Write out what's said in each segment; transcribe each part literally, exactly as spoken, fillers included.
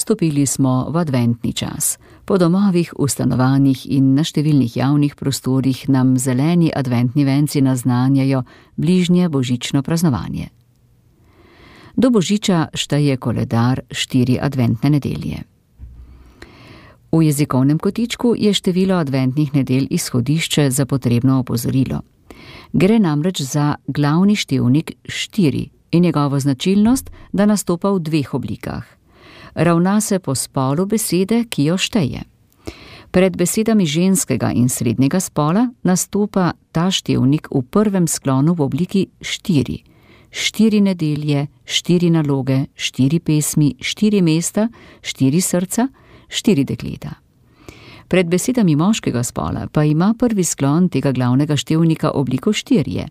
Stopili smo v adventni čas. Po domovih, v stanovanjih in na številnih javnih prostorih nam zeleni adventni venci naznanjajo bližnje božično praznovanje. Do božiča šteje koledar štiri adventne nedelje. V jezikovnem kotičku je število adventnih nedelj izhodišče za potrebno opozorilo. Gre namreč za glavni števnik štiri in njegovo značilnost, da nastopa v dveh oblikah. Ravna se po spolu besede, ki jo šteje. Pred besedami ženskega in srednjega spola nastopa ta števnik v prvem sklonu v obliki štiri. Štiri nedelje, štiri naloge, štiri pesmi, štiri mesta, štiri srca, štiri dekleta. Pred besedami moškega spola pa ima prvi sklon tega glavnega števnika obliko štirje.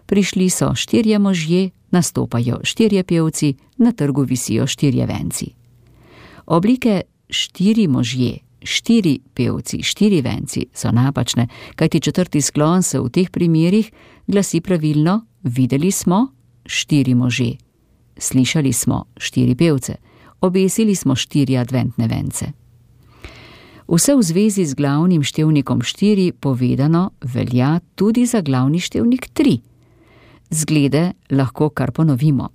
Prišli so štirje možje, nastopajo štirje pevci, na trgu visijo štirje venci. Oblike štiri možje, štiri pevci, štiri venci so napačne, kajti četrti sklon se v teh primerih glasi pravilno: videli smo štiri može, slišali smo štiri pevce, obesili smo štiri adventne vence. Vse v zvezi z glavnim števnikom štiri povedano velja tudi za glavni števnik tri. Zglede lahko kar ponovimo.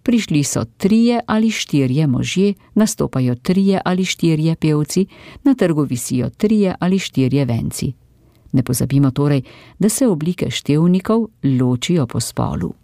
Prišli so trije ali štirje možje, nastopajo trije ali štirje pevci, na trgu visijo trije ali štirje venci. Ne pozabimo torej, da se oblike števnikov ločijo po spolu.